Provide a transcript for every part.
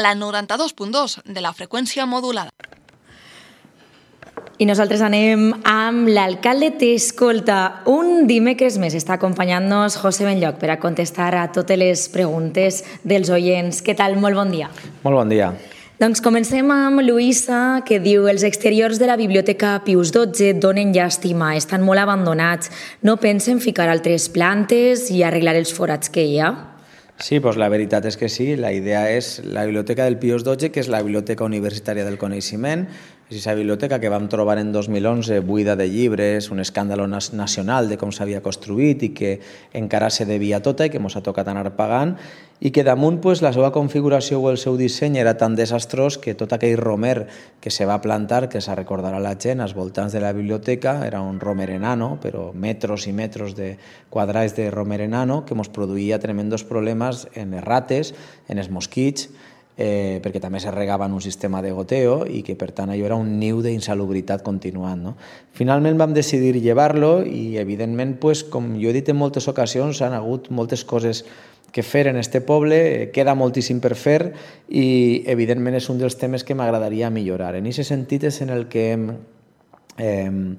la 92.2 de la freqüència modulada. I nosaltres anem amb l'alcalde t'escolta. Un dimecres més està acompanyant-nos José Benlloch per a contestar a totes les preguntes dels oients. Què tal? Molt bon dia. Molt bon dia. Doncs comencem amb Luisa, que diu: els exteriors de la Biblioteca Pius XII donen llàstima, estan molt abandonats. No pensen ficar altres plantes i arreglar els forats que hi ha? Sí, doncs la veritat és que sí. La idea és la Biblioteca del Pius XII, que és la Biblioteca Universitària del Coneixement. És aquesta biblioteca que vam trobar en 2011 buida de llibres, un escàndol nacional de com s'havia construït i que encara se devia tota i que ens ha tocat anar pagant, i que damunt la seva configuració o el seu disseny era tan desastrós que tot aquell romer que se va plantar, que se recordarà la gent, als voltants de la biblioteca, era un romer enano, però metres i metres de quadrats de romer enano, que ens produïa tremendos problemes en les rates, en els mosquits, perquè també se regava en un sistema de goteo i que per tant allò era un niu d'insalubritat continuant. Finalment vam decidir llevar-lo i evidentment, com jo he dit en moltes ocasions, han hagut moltes coses que fer en este poble, queda moltíssim per fer i evidentment és un dels temes que m'agradaria millorar. En aquest sentit és en el que hem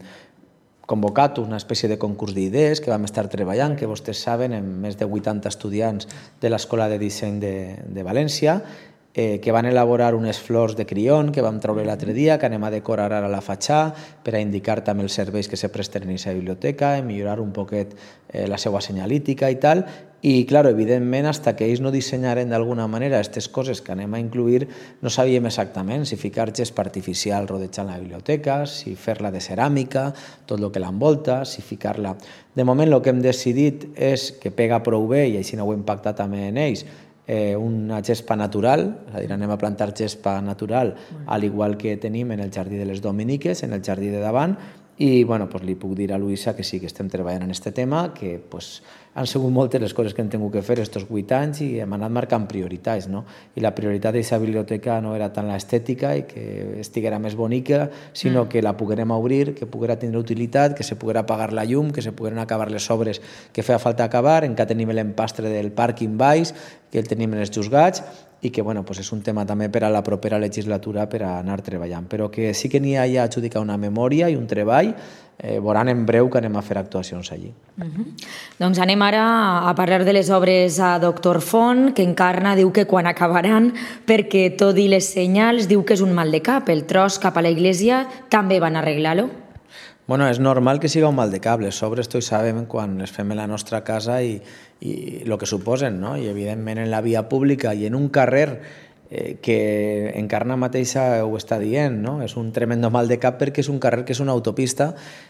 convocat una espècie de concurs d'idees que vam estar treballant, que vostès saben, amb més de 80 estudiants de l'Escola de Disseny de València, que van elaborar unes flors de crión que vam treure l'altre dia, que anem a decorar ara la fatxada per a indicar també els serveis que se presten en aquesta biblioteca i millorar un poquet la seva senyalítica i tal. I, clar, evidentment, fins que ells no dissenyaren d'alguna manera aquestes coses que anem a incluir, no sabíem exactament si ficar gespa artificial rodejant la biblioteca, si fer-la de ceràmica, tot el que l'envolta, si ficar-la... De moment, el que hem decidit és que pega prou bé, i així no ho hem pactat també en ells, una gespa natural, és a dir, anem a plantar gespa natural, al igual que tenim en el Jardí de les Dominiques, en el jardí de davant, i li puc dir a Luisa que sí, que estem treballant en aquest tema, que han sigut moltes les coses que hem tingut que fer aquests 8 anys i hem anat marcant prioritats. I la prioritat d'aquesta biblioteca no era tant l'estètica i que estiguera més bonica, sinó que la poguérem obrir, que poguera tindre utilitat, que se poguera apagar la llum, que se pogueren acabar les obres que feia falta acabar, encara tenim l'empastre del pàrquing baix, que el tenim en els juzgats, i que és un tema també per a la propera legislatura per a anar treballant. Però que sí que n'hi ha ja adjudicat una memòria i un treball, veuran en breu que anem a fer actuacions allí. Doncs anem ara a parlar de les obres a Doctor Font, que Encarna diu que quan acabaran, perquè tot i les senyals diu que és un mal de cap. El tros cap a la iglesia també van arreglar-lo? És normal que siga un mal de cap. Les obres tots sabem quan les fem en la nostra casa i el que suposen, i evidentment en la via pública i en un carrer que Encarna mateixa ho està dient, és un tremendo mal de cap perquè és un carrer que és una autopista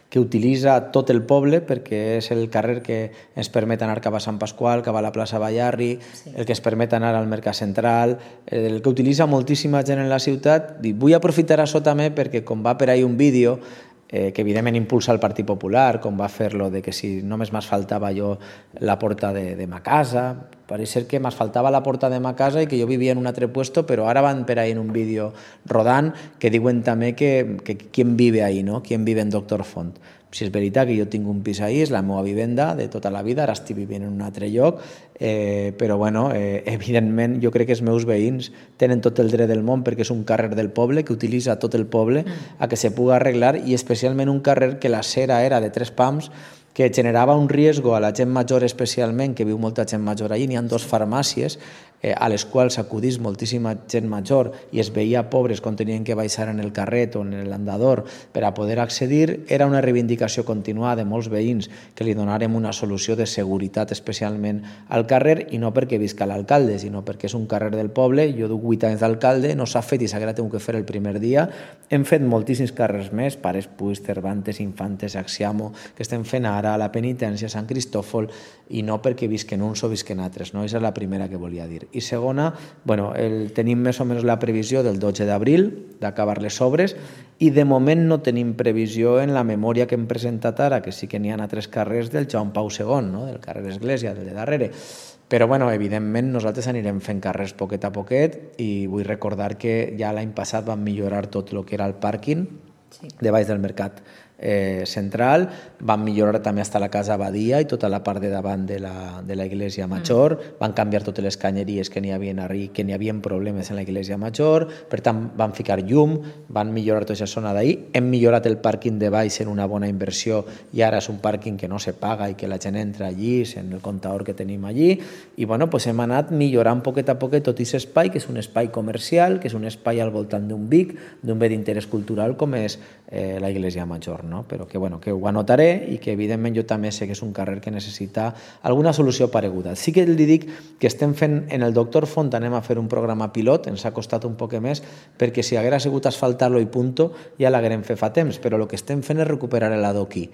que utilitza tot el poble, perquè és el carrer que ens permet anar cap a Sant Pasqual, cap a la plaça Ballarri, el que ens permet anar al Mercat Central, el que utilitza moltíssima gent en la ciutat. Vull aprofitar això també perquè com va per ahí un vídeo que evidentment impulsa el Partit Popular, com va fer-lo de que si només m'asfaltava jo la porta de ma casa, pareix ser que m'asfaltava la porta de ma casa i que jo vivia en un altre puesto, però ara van per ahí en un vídeo rodant que diuen també que qui vive ahí, qui vive en Doctor Font. Si és veritat que jo tinc un pis ahí, és la meva vivenda de tota la vida, ara estic vivint en un altre lloc, però evidentment jo crec que els meus veïns tenen tot el dret del món perquè és un carrer del poble que utilitza tot el poble a que se pugui arreglar, i especialment un carrer que la cera era de 3 pams, que generava un riesgo a la gent major especialment, que viu molta gent major allí. N'hi ha 2 farmàcies a les quals acudís moltíssima gent major i es veia pobres quan tenien que baixar en el carret o en l'andador per a poder accedir. Era una reivindicació continuada de molts veïns que li donarem una solució de seguretat especialment al carrer, i no perquè visca l'alcalde, sinó perquè és un carrer del poble. Jo duc 8 anys d'alcalde, no s'ha fet i s'ha tingut que fer el primer dia. Hem fet moltíssims carrers més, Pares Puig, Cervantes, Infantes, Axiamo, que estem fent ara a la Penitència, Sant Cristòfol, i no perquè visquen uns o visquen altres. Aquesta és la primera que volia dir. I segona, tenim més o menys la previsió del 12 d'abril d'acabar les obres, i de moment no tenim previsió en la memòria que hem presentat ara, que sí que n'hi ha 3 carrers del Joan Pau II, del carrer Església, del de darrere. Però, evidentment, nosaltres anirem fent carrers poquet a poquet, i vull recordar que ja l'any passat vam millorar tot el que era el pàrquing de baix del Mercat central, van millorar també fins a la casa Badia i tota la part de davant de la Iglesia Major, van canviar totes les canyeries que n'hi havia problemes en la Iglesia Major, per tant van ficar llum, van millorar tota aquesta zona d'ahir, hem millorat el pàrquing de baix en una bona inversió i ara és un pàrquing que no se paga i que la gent entra allí, en el comptador que tenim allí, i bueno, pues hem anat millorant poquet a poquet tot aquest espai, que és un espai comercial, que és un espai al voltant d'un BIC, d'un bé d'interès cultural com és la Iglesia Major, no? Però que, bueno, que ho anotaré i que evidentment jo també sé que és un carrer que necessita alguna solució pareguda. Sí que li dic que estem fent, en el Doctor Font anem a fer un programa pilot, ens ha costat un poc més, perquè si haguera sigut asfaltar-lo i punto, ja l'haguerem fet fa temps, però el que estem fent és recuperar l'adoquí,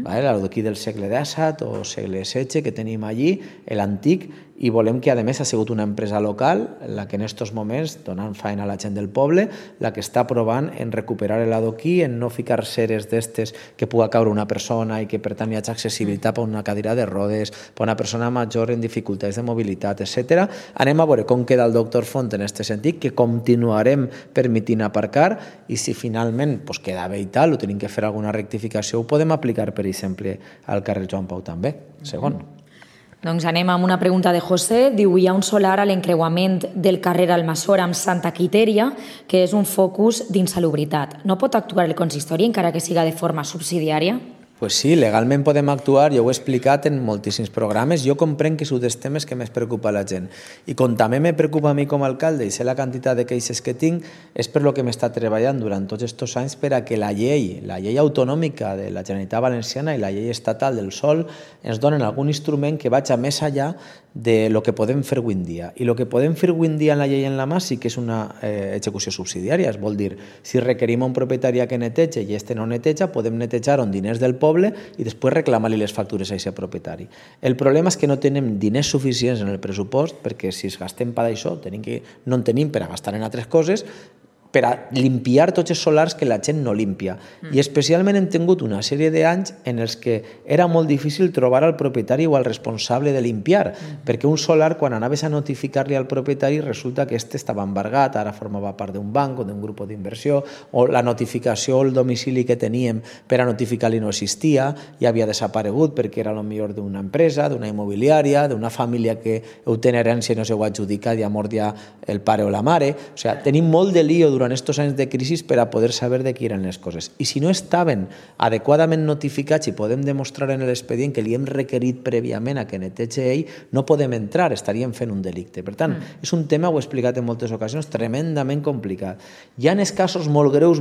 l'adoquí del segle XVII o segle XVI que tenim allí, l'antic, i volem que a més ha sigut una empresa local la que en aquests moments, donant feina a la gent del poble, la que està provant en recuperar l'adoquí, en no ficar ceres d'estes que puga caure una persona i que per tant hi hagi accessibilitat per una cadira de rodes, per una persona major en dificultats de mobilitat, etc. Anem a veure com queda el Doctor Font en aquest sentit, que continuarem permitint aparcar, i si finalment queda bé i tal, o tenim que fer alguna rectificació, ho podem aplicar, per exemple, al carrer Joan Pau també. Segon. Doncs anem amb una pregunta de José. Diu, hi ha un solar a l'encreuament del carrer Almassora amb Santa Quitèria, que és un focus d'insalubritat. No pot actuar el consistori encara que siga de forma subsidiària? Pues sí, legalment podem actuar, jo ho he explicat en moltíssims programes, jo comprenc que és un dels temes que més preocupa a la gent. I com també me preocupa a mi com a alcalde i sé la quantitat de queixes que tinc, és per lo que m'està treballant durant tots aquests anys per a que la llei autonòmica de la Generalitat Valenciana i la llei estatal del sòl ens donen algun instrument que vagi més enllà de lo que podem fer avui en dia. I el que podem fer avui en dia en la llei en la mà sí que és una execució subsidiària, es vol dir, si requerim un propietari que netege i este no neteja, podem netejar amb diners del poble i després reclamar-li les factures a aquest propietari. El problema és que no tenim diners suficients en el pressupost, perquè si es gastem per això, no en tenim per a gastar en altres coses, per a limpiar tots els solars que la gent no limpia. I especialment hem tingut una sèrie d'anys en els que era molt difícil trobar el propietari o el responsable de limpiar, perquè un solar, quan anaves a notificar-li al propietari, resulta que este estava embargat, ara formava part d'un banc o d'un grup d'inversió, o la notificació o el domicili que teníem per a notificar-li no existia, i havia desaparegut perquè era potser d'una empresa, d'una immobiliària, d'una família que ho té en herència i no s'ho ha adjudicat i ha mort ja el pare o la mare. O sigui, tenim molt de lío durant estos anys de crisi per a poder saber de qui eren les coses. I si no estaven adequadament notificats i podem demostrar en l'expedient que li hem requerit prèviament a que netege ell, no podem entrar, estaríem fent un delicte. Per tant, és un tema, ho he explicat en moltes ocasions, tremendament complicat. Hi ha els casos molt greus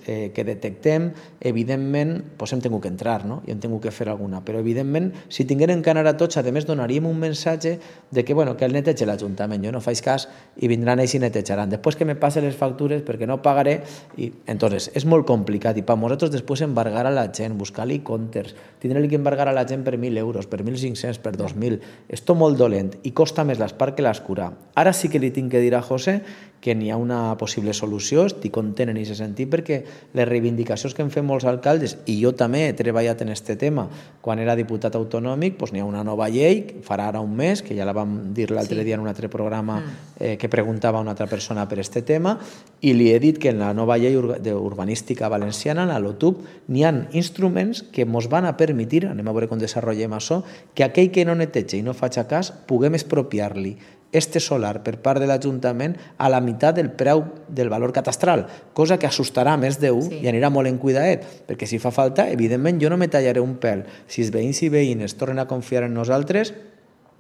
que detectem, evidentment, hem tingut que entrar, no? I hem tingut que fer alguna. Però, evidentment, si tinguérem que anar a tots, a més, donaríem un missatge de que el netege l'Ajuntament, jo no faig cas i vindran ells i netejaran. Després que me passe les factures perquè no pagaré, i entonces és molt complicat, i per nosaltres després embargar a la gent, buscar-li comptes, tindre-li que embargar a la gent per 1.000 euros, per 1.500, per 2.000, és tot molt dolent i costa més l'espart que l'escura. Ara sí que li tinc que dir a José que n'hi ha una possible solució, estic content en aquest sentit perquè les reivindicacions que hem fet molts alcaldes, i jo també he treballat en aquest tema quan era diputat autonòmic, n'hi ha una nova llei, farà ara un mes, que ja la vam dir l'altre dia en un altre programa que preguntava a una altra persona per aquest tema, i li he dit que en la nova llei urbanística valenciana, en la LOTUB, n'hi ha instruments que ens van a permetre, anem a veure com desenvolupem això, que aquell que no netege i no faci cas, puguem expropiar-li este solar per part de l'Ajuntament a la meitat del preu del valor catastral, cosa que assustarà més d'un i anirà molt en cuidadet, perquè si fa falta, evidentment jo no me tallaré un pèl si els veïns i veïnes tornen a confiar en nosaltres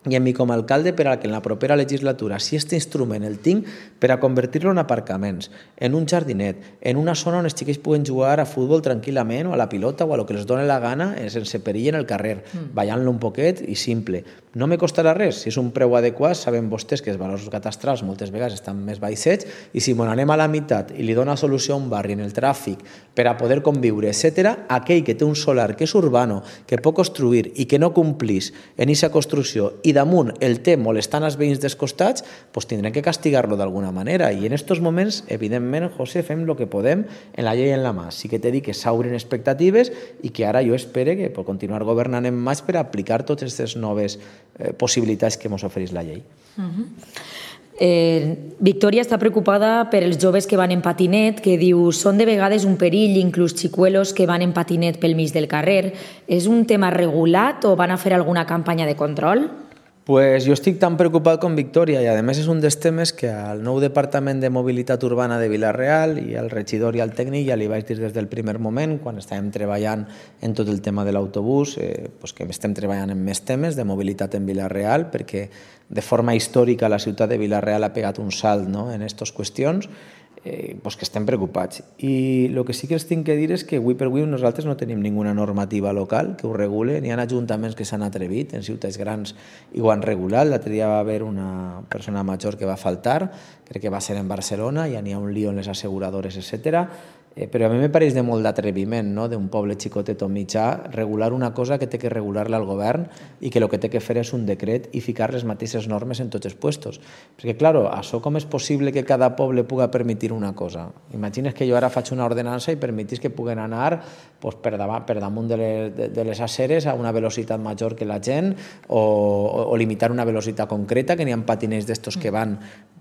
i en mi com a alcalde per a que en la propera legislatura, si aquest instrument el tinc, per a convertir-lo en aparcaments, en un jardinet, en una zona on els xiquets puguen jugar a futbol tranquil·lament o a la pilota o a lo que els doni la gana sense perill en el carrer, ballant-lo un poquet i simple. No me costarà res, si és un preu adequat, saben vostès que els valors catastrals moltes vegades estan més baixets i si anem a la meitat i li dona solució a un barri en el tràfic per a poder conviure, etc., aquell que té un solar que és urbano, que pot construir i que no complís en aquesta construcció i damunt el té molestant els veïns dels costats, tindrem que castigar-lo d'alguna manera. I en aquests moments, evidentment, José, fem el que podem en la llei en la mà. Sí que t'he dit que s'obrin expectatives i que ara jo espero que per continuar governant en maig per aplicar totes aquestes noves possibilitats que ens ofereix la llei. Victòria està preocupada per els joves que van en patinet, que diu són de vegades un perill, inclús xicuelos que van en patinet pel mig del carrer. És un tema regulat o van a fer alguna campanya de control? Pues jo estic tan preocupat com Victòria i a més és un dels temes que al nou Departament de Mobilitat Urbana de Vila-real i al regidor i al tècnic ja li vaig dir des del primer moment, quan estàvem treballant en tot el tema de l'autobús, que estem treballant en més temes de mobilitat en Vila-real, perquè de forma històrica la ciutat de Vila-real ha pegat un salt en aquestes qüestions, que estem preocupats. I el que sí que els tinc que dir és que avui per avui nosaltres no tenim ninguna normativa local que ho regule. N'hi ha ajuntaments que s'han atrevit, en ciutats grans i ho han regulat. L'altre dia va haver una persona major que va faltar, crec que va ser en Barcelona, ja n'hi ha un lío en les asseguradores, etc. Però a mi me pareix de molt d'atreviment d'un poble xicotet o mitjà regular una cosa que té que regular-la el govern i que el que té que fer és un decret i ficar les mateixes normes en tots els puestos. Perquè, clar, això com és possible que cada poble puga permetre una cosa? Imagines que jo ara faig una ordenança i permetís que puguen anar per damunt de les aceres a una velocitat major que la gent o limitar una velocitat concreta, que n'hi ha patiners d'estos que van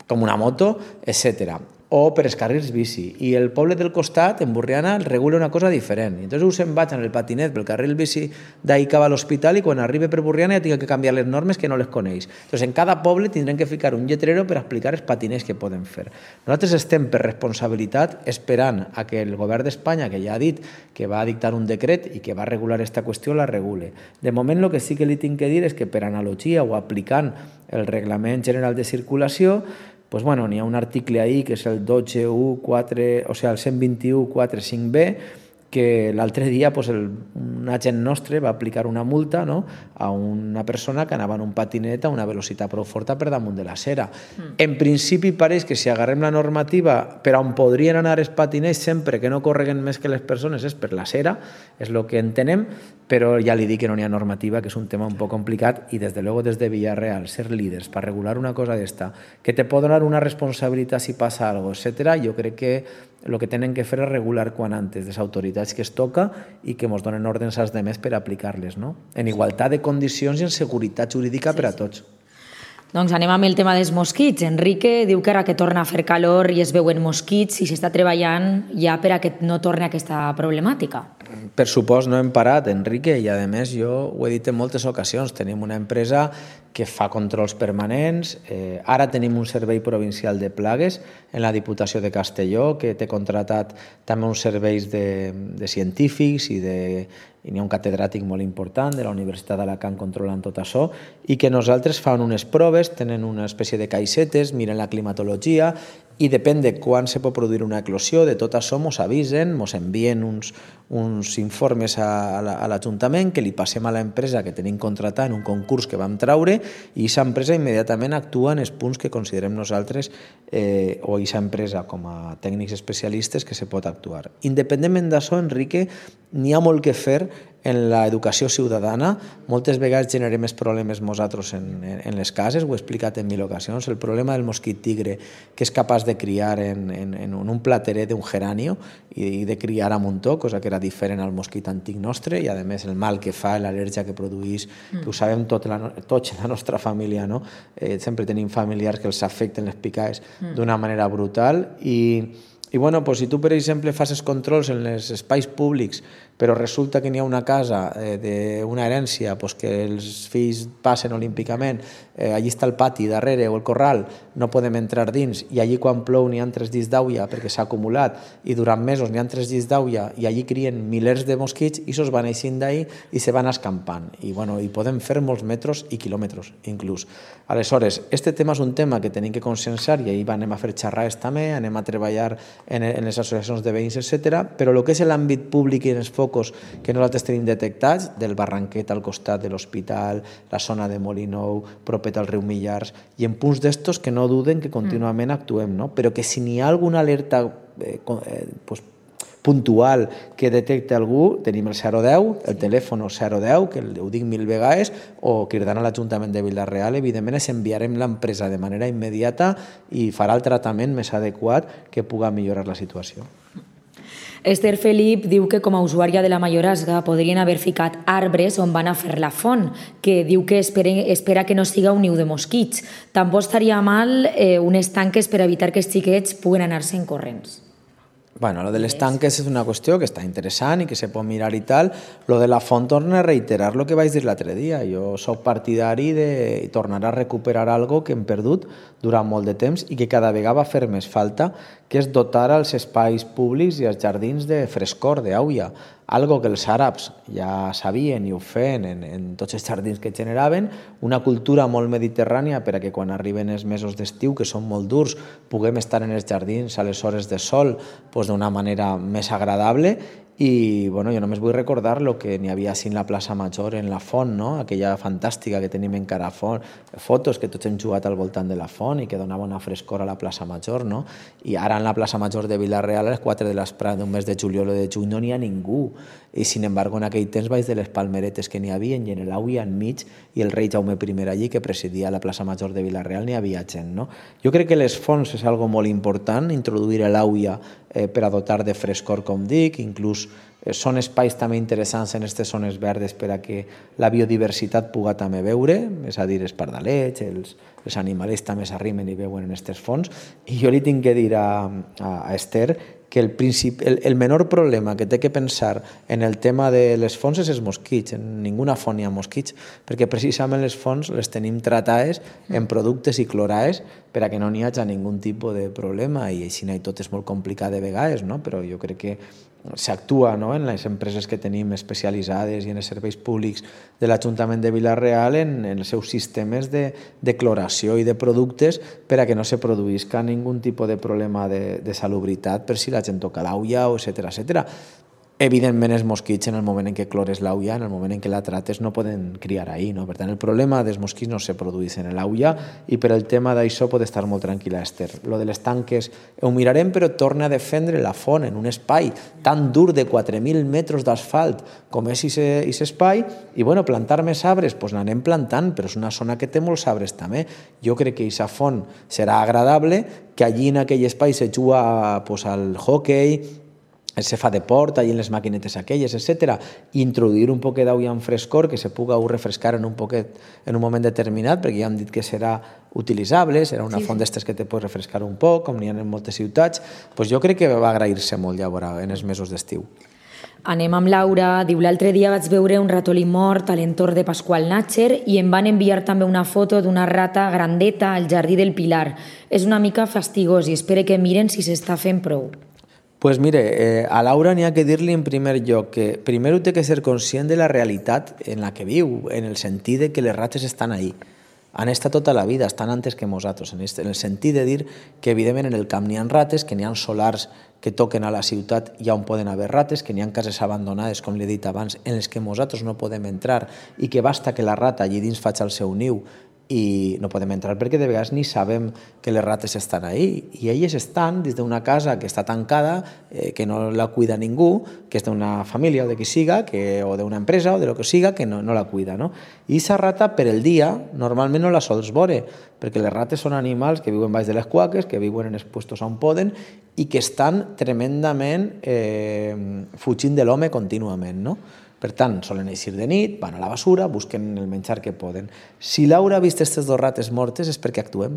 com una moto, etc. O per els carrils bici. I el poble del costat, en Borriana, regula una cosa diferent. I entonces se'n vaig en el patinet pel carril bici d'ahir cap a l'hospital i quan arribi per Borriana ja tinc que canviar les normes que no les coneix. Entonces, en cada poble tindrem que ficar un lletrero per explicar els patiners que poden fer. Nosaltres estem per responsabilitat esperant a que el govern d'Espanya, que ja ha dit que va dictar un decret i que va regular aquesta qüestió, la regule. De moment, el que sí que li tinc que dir és que per analogia o aplicant el Reglament General de Circulació, n'hi ha un article ahí que és el 12.1.4, o sigui, el 121.4.5b, que l'altre dia un agent nostre va aplicar una multa a una persona que anava en un patinet a una velocitat prou forta per damunt de la cera. En principi pareix que si agarrem la normativa per on podrien anar els patinets sempre que no correguen més que les persones és per la cera, és el que entenem, però ja li dic que no hi ha normativa, que és un tema un poc complicat i des de luego des de Villarreal ser líders per regular una cosa d'esta, que te pot donar una responsabilitat si passa alguna cosa, etc. Jo crec que el que tenen que fer és regular quan antes les autoritats que es toca i que ens donen ordres als demés per aplicar-les, en igualtat de condicions i en seguretat jurídica per a tots. Doncs anem amb el tema dels mosquits. Enrique diu que ara que torna a fer calor i es veuen mosquits i s'està treballant ja per a que no torni aquesta problemàtica. Per supost no hem parat, Enrique, i a més jo ho he dit en moltes ocasions, tenim una empresa que fa controls permanents, ara tenim un servei provincial de plagues en la Diputació de Castelló que té contratat també uns serveis de científics i n'hi ha un catedràtic molt important de la Universitat d'Alacant controlant tot això i que nosaltres fan unes proves, tenen una espècie de caixetes, miren la climatologia i depèn de quan se pot produir una eclosió, de tot això ens avisen, ens envien uns informes a l'Ajuntament que li passem a l'empresa que tenim contratat en un concurs que vam traure i aquesta empresa immediatament actua en els punts que considerem nosaltres o aquesta empresa com a tècnics especialistes que se pot actuar. Independentment d'això, Enrique, n'hi ha molt que fer en l'educació ciutadana. Moltes vegades generem més problemes nosaltres en les cases, ho he explicat en 1000 ocasions. El problema del mosquit tigre, que és capaç de criar en un plateret d'un geranio i de criar a muntó, cosa que era diferent al mosquit antic nostre, i a més el mal que fa, l'al·lèrgia que produeix, que ho sabem tots en la nostra família, sempre tenim familiars que els afecten les picades d'una manera brutal i si tu, per exemple, fas els controls en els espais públics però resulta que n'hi ha una casa d'una herència que els fills passen olímpicament, allí està el pati darrere o el corral, no podem entrar dins i allí quan plou n'hi ha 3 dits d'aigua perquè s'ha acumulat i durant mesos n'hi ha 3 dits d'aigua i allí crien milers de mosquits i se'ls van eixint d'ahir i se van escampant i podem fer molts metres i quilòmetres inclús. Aleshores, este tema és un tema que tenim que conscienciar i ahir anem a fer xerrades també, anem a treballar en les associacions de veïns, etc. Però el que és l'àmbit públic i els focus que nosaltres tenim detectats, del Barranquet al costat de l'hospital, la zona de Molinou, propet al riu Millars, i en punts d'estos que no duden que contínuament actuem, no? Però que si n'hi ha alguna alerta puntual que detecte algú, tenim el 010, el telèfon 010, que ho dic 1000 vegades, o cridant a l'Ajuntament de Vila-real, evidentment es enviarem l'empresa de manera immediata i farà el tractament més adequat que puga millorar la situació. Esther Felip diu que com a usuària de la Mayorazga podrien haver ficat arbres on van a fer la font, que diu que espera que no siga un niu de mosquits. Tampoc estaria mal unes tanques per evitar que els xiquets puguen anar-se'n corrents. Bueno, lo de les tanques és una qüestió que està interessant i que se pot mirar i tal. Lo de la font torna a reiterar lo que vaig dir l'altre dia. Jo soc partidari de tornar a recuperar algo que hem perdut durant molt de temps i que cada vegada va fer més falta, que és dotar els espais públics i els jardins de frescor, d'aigua. Algo que els àrabs ja sabien i ho feien en tots els jardins que generaven, una cultura molt mediterrània per a que quan arriben els mesos d'estiu, que són molt durs, puguem estar en els jardins a les hores de sol d'una manera més agradable. I jo només vull recordar el que n'hi havia així en la plaça Major, en la font, no? Aquella fantàstica que tenim encara fotos que tots hem jugat al voltant de la font i que donava una frescor a la plaça Major, no? I ara en la plaça Major de Vila-real a les 4 de l'esprà d'un mes de juliol o de juny no n'hi ha ningú. I sin embargo en aquell temps vaig de les palmeretes que n'hi havia i en l'auia enmig i el rei Jaume I allí que presidia la plaça Major de Vila-real n'hi havia gent, no? Jo crec que les fonts és algo molt important, introduir l'auia per a dotar de frescor, com dic, inclús són espais també interessants en aquestes zones verdes per a que la biodiversitat puga també veure, és a dir, els pardalets, els animals també s'arrimen i veuen en aquestes fonts. I jo li tinc que dir a Esther que el menor problema que té que pensar en el tema de les fonts és els mosquits. En ninguna font hi ha mosquits, perquè precisament les fonts les tenim tratades en productes i clorades per a que no n'hi hagi ningun tipus de problema, i així tot és molt complicat de vegades, no? Però jo crec que s'actua, no?, en les empreses que tenim especialitzades i en els serveis públics de l'Ajuntament de Vila-real en els seus sistemes de cloració i de productes per a que no se produïsca ningun tipus de problema de salubritat per si la gent toca l'auia, etcètera. Evidentment els mosquits en el moment en què clores l'auia, en el moment en què la trates, no poden criar ahí, no? Per tant, el problema dels mosquits no se produeix en l'auia i per el tema d'això pot estar molt tranquil·la Esther. Lo de les tanques ho mirarem, però torna a defendre la font en un espai tan dur de 4.000 metres d'asfalt com és aquest espai i plantar més arbres, doncs n'anem plantant, però és una zona que té molts arbres també. Jo crec que aquesta font serà agradable, que allí en aquell espai se juga al hockey, se fa de port, allà en les maquinetes aquelles, etc. I introduir un poquet d'aigua en frescor que se puga refrescar en un moment determinat, perquè ja hem dit que serà utilitzable, serà una font d'estes que te pot refrescar un poc, com n'hi ha en moltes ciutats. Jo crec que va agrair-se molt llavors en els mesos d'estiu. Anem amb Laura. Diu, l'altre dia vaig veure un ratolí mort a l'entorn de Pasqual Natcher i em van enviar també una foto d'una rata grandeta al jardí del Pilar. És una mica fastigós i espero que miren si s'està fent prou. Pues mire, a Laura n'hi ha que dir-li en primer lloc que primer té que ser conscient de la realitat en la que viu, en el sentit de que les rates estan ahí. Han estat tota la vida, estan antes que nosaltres, en el sentit de dir que evidentment en el camp n'hi ha rates, que n'hi ha solars que toquen a la ciutat i on poden haver rates, que n'hi ha cases abandonades, com li he dit abans, en les que nosaltres no podem entrar i que basta que la rata allí dins faci el seu niu i no podem entrar perquè de vegades ni sabem que les rates estan ahí i elles estan dins d'una casa que està tancada, que no la cuida ningú, que és d'una família o de qui siga, o d'una empresa o de lo que siga, que no la cuida, no? I aquesta rata per el dia normalment no la sols veure, perquè les rates són animals que viuen baix de les cuaques, que viuen en els puestos on poden i que estan tremendament fugint de l'home contínuament, no? Per tant, solen eixir de nit, van a la basura, busquen el menjar que poden. Si Laura ha vist aquestes dues rates mortes és perquè actuem.